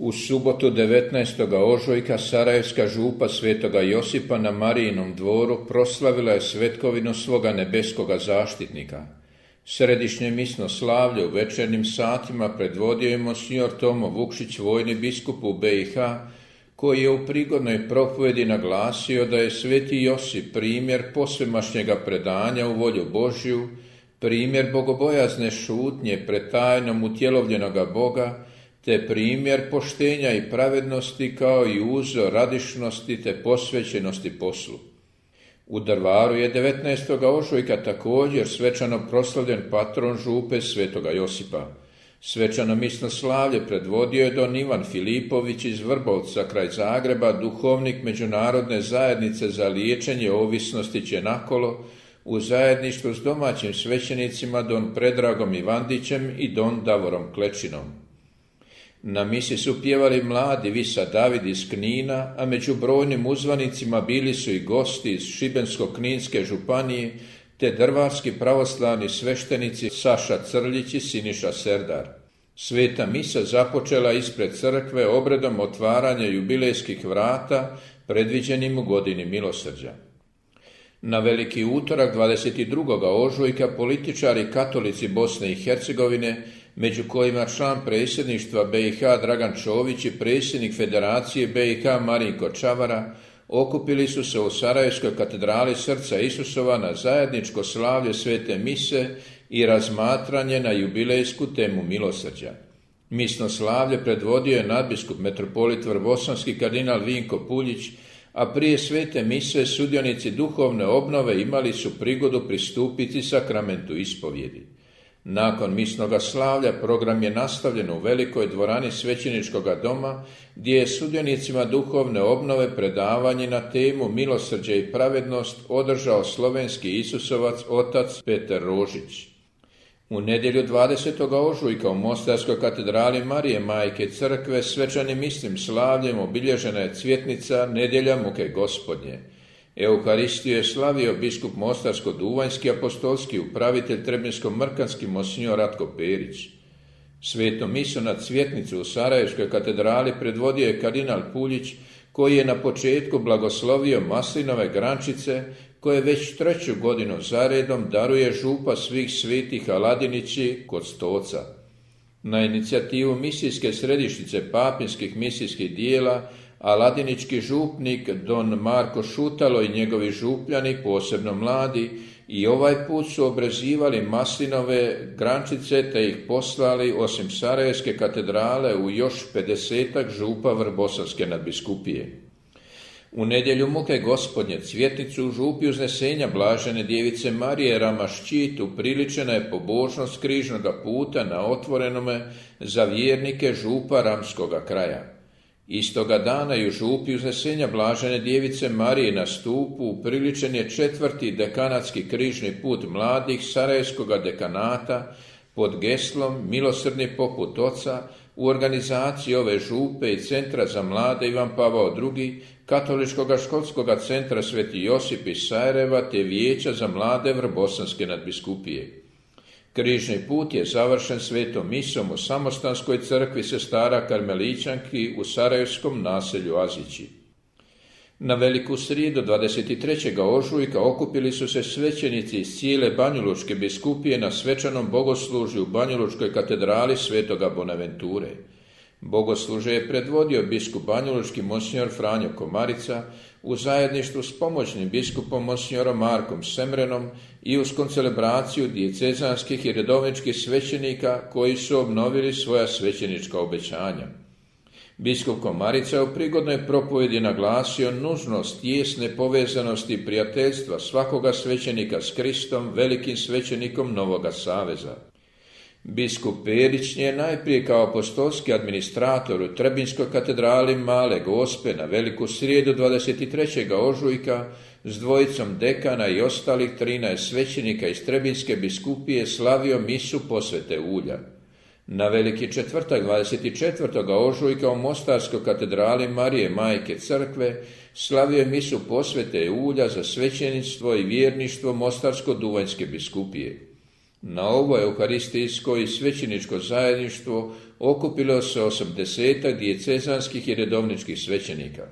U subotu 19. ožujka sarajevska župa svetoga Josipa na Marijinom dvoru proslavila je svetkovinu svoga nebeskoga zaštitnika. Središnje misno slavlje u večernjim satima predvodio je monsignor Tomo Vukšić, vojni biskup u BiH, koji je u prigodnoj propovjedi naglasio da je sveti Josip primjer posvemašnjega predanja u volju Božju, primjer bogobojazne šutnje pred tajnom utjelovljenoga Boga, te primjer poštenja i pravednosti kao i uzor radišnosti te posvećenosti poslu. U Drvaru je 19. ožujka također svečano proslavljen patron župe svetoga Josipa. Svečano misno slavlje predvodio je don Ivan Filipović iz Vrbovca kraj Zagreba, duhovnik Međunarodne zajednice za liječenje ovisnosti Čenakolo, u zajedništvu s domaćim svećenicima don Predragom Ivandićem i don Davorom Klečinom. Na misi su pjevali mladi Visa David iz Knina, a među brojnim uzvanicima bili su i gosti iz Šibensko-kninske županije, te drvarski pravoslavni sveštenici Saša Crljić i Siniša Serdar. Sveta misa započela ispred crkve obredom otvaranja jubilejskih vrata predviđenim u godini milosrđa. Na veliki utorak 22. ožujka političari katolici Bosne i Hercegovine, među kojima član predsjedništva BiH Dragan Čović i predsjednik Federacije BiH Marinko Čavara, okupili su se u Sarajevskoj katedrali Srca Isusova na zajedničko slavlje svete mise i razmatranje na jubilejsku temu milosrđa. Misno slavlje predvodio je nadbiskup metropolit vrbosanski kardinal Vinko Puljić, a prije svete mise sudionici duhovne obnove imali su prigodu pristupiti sakramentu ispovjedi. Nakon misnoga slavlja program je nastavljen u velikoj dvorani svećeničkoga doma, gdje je sudionicima duhovne obnove predavanje na temu milosrđe i pravednost održao slovenski Isusovac otac Petar Rožić. U nedjelju 20. ožujka u Mostarskoj katedrali Marije Majke Crkve svečanim misnim slavljem obilježena je cvjetnica Nedjelja muke Gospodnje. Euharistiju je slavio biskup Mostarsko-duvanjski apostolski upravitelj Trebinsko-mrkanski monsignor Ratko Perić. Svetu misu na cvjetnicu u Sarajevskoj katedrali predvodio je kardinal Puljić, koji je na početku blagoslovio maslinove grančice koje već 3. godinu zaredom daruje župa svih svetih Aladinići kod Stoca. Na inicijativu misijske središnjice papinskih misijskih dijela aladinički župnik don Marko Šutalo i njegovi župljani, posebno mladi, i ovaj put su obrezivali maslinove grančice te ih poslali osim Sarajevske katedrale u još 50 župa Vrbosanske nadbiskupije. U nedjelju muke Gospodnje cvjetnicu u župi uznesenja Blažene djevice Marije Ramašćit upriličena je pobožnost križnoga puta na otvorenome za vjernike župa Ramskoga kraja. Istoga dana i u župi uznesenja Blažene djevice Marije na stupu upriličen je 4. dekanatski križni put mladih Sarajevskoga dekanata pod geslom Milosrdni poput oca u organizaciji ove župe i Centra za mlade Ivan Pavao II, Katoličkoga školskoga centra Sveti Josip iz Sarajeva te Vijeća za mlade Vrbosanske nadbiskupije. Križni put je završen svetom misom u Samostanskoj crkvi sestara Karmelićanki u sarajevskom naselju Azići. Na veliku srijedu 23. ožujka okupili su se svećenici iz cijele Banjalučke biskupije na svečanom bogoslužju u Banjalučkoj katedrali svetoga Bonaventure. Bogoslužje je predvodio biskup banjalučki monsignor Franjo Komarica u zajedništvu s pomoćnim biskupom monsignorom Markom Semrenom i uz koncelebraciju dijecezanskih i redovničkih svećenika koji su obnovili svoja svećenička obećanja. Biskup Komarica u prigodnoj propovjedi naglasio nužnost tijesne povezanosti i prijateljstva svakoga svećenika s Kristom, velikim svećenikom Novoga Saveza. Biskup Perić je najprije kao apostolski administrator u Trebinskoj katedrali Male Gospe na veliku srijedu 23. ožujka s dvojicom dekana i ostalih 13 svećenika iz Trebinske biskupije slavio misu posvete ulja. Na veliki četvrtak 24. ožujka u Mostarskoj katedrali Marije Majke Crkve slavio je misu posvete ulja za svećeništvo i vjerništvo Mostarsko-duvanjske biskupije. Na ovo euharistijsko i svećeničko zajedništvo okupilo se 80 dijecezanskih i redovničkih svećenika.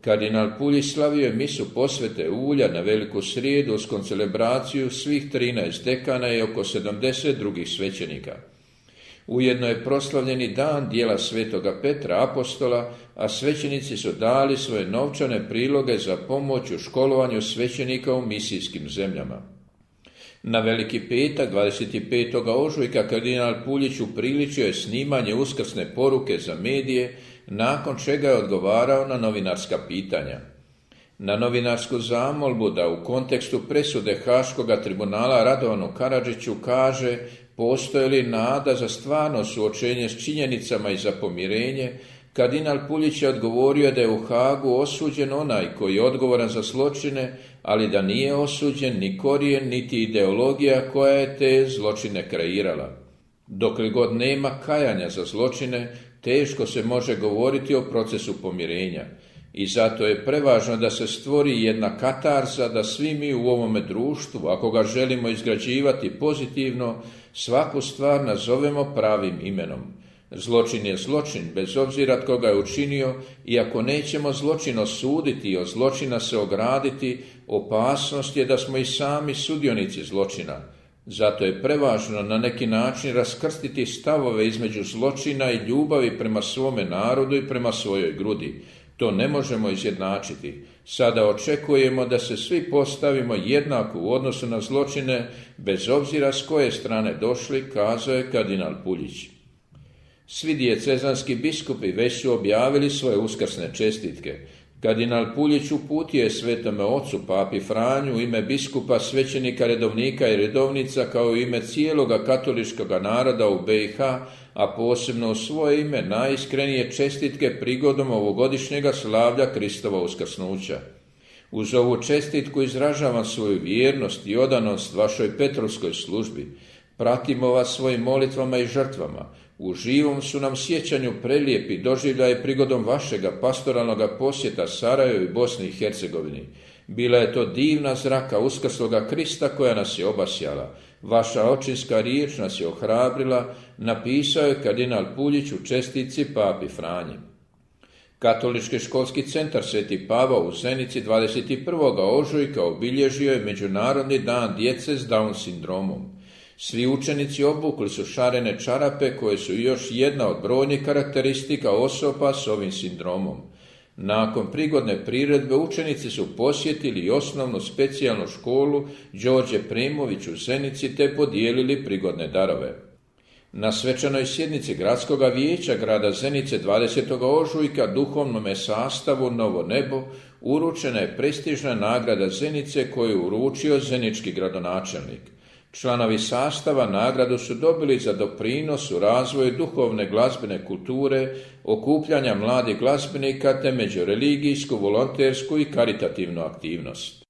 Kardinal Puljić slavio je misu posvete ulja na Veliku srijedu uz koncelebraciju svih 13 dekana i oko 70 drugih svećenika. Ujedno je proslavljeni dan djela svetoga Petra apostola, a svećenici su dali svoje novčane priloge za pomoć u školovanju svećenika u misijskim zemljama. Na Veliki petak, 25. ožujka, kardinal Puljić upriličio je snimanje uskrsne poruke za medije, nakon čega je odgovarao na novinarska pitanja. Na novinarsku zamolbu da u kontekstu presude Haškoga tribunala Radovanu Karadžiću kaže postoji li nada za stvarno suočenje s činjenicama i za pomirenje, kardinal Puljić je odgovorio da je u Hagu osuđen onaj koji je odgovoran za zločine, ali da nije osuđen ni korijen niti ideologija koja je te zločine kreirala. Dokle god nema kajanja za zločine, teško se može govoriti o procesu pomirenja. I zato je prevažno da se stvori jedna katarza, da svi mi u ovome društvu, ako ga želimo izgrađivati pozitivno, svaku stvar nazovemo pravim imenom. Zločin je zločin, bez obzira tko ga je učinio, i ako nećemo zločin osuditi i od zločina se ograditi, opasnost je da smo i sami sudionici zločina. Zato je prevažno na neki način raskrstiti stavove između zločina i ljubavi prema svome narodu i prema svojoj grudi. To ne možemo izjednačiti. Sada očekujemo da se svi postavimo jednako u odnosu na zločine, bez obzira s koje strane došli, kazao je kardinal Puljić. Svi dijecezanski biskupi već su objavili svoje uskrsne čestitke. Kardinal Puljić uputio je Svetome Ocu papi Franju u ime biskupa, svećenika, redovnika i redovnica kao u ime cijeloga katoličkog naroda u BiH, a posebno u svoje ime najiskrenije čestitke prigodom ovogodišnjega slavlja Kristova uskrsnuća. Uz ovu čestitku izražavam svoju vjernost i odanost vašoj Petrovskoj službi. Pratimo vas svojim molitvama i žrtvama. U živom su nam sjećanju prelijepi doživljaje prigodom vašega pastoralnog posjeta Sarajevu i Bosni i Hercegovini. Bila je to divna zraka uskrsloga Krista koja nas je obasjala. Vaša očinska riječ nas je ohrabrila, napisao je kardinal Puljić u čestitci papi Franji. Katolički školski centar Sveti Pavao u Zenici 21. ožujka obilježio je Međunarodni dan djece s Down sindromom. Svi učenici obukli su šarene čarape koje su još jedna od brojnih karakteristika osoba s ovim sindromom. Nakon prigodne priredbe učenici su posjetili osnovnu specijalnu školu Đorđe Premović u Zenici te podijelili prigodne darove. Na svečanoj sjednici Gradskoga vijeća grada Zenice 20. ožujka duhovnome sastavu Novo nebo uručena je prestižna nagrada Zenice koju je uručio zenički gradonačelnik. Članovi sastava nagradu su dobili za doprinos u razvoju duhovne glazbene kulture, okupljanja mladih glazbenika te međureligijsku, volontersku i karitativnu aktivnost.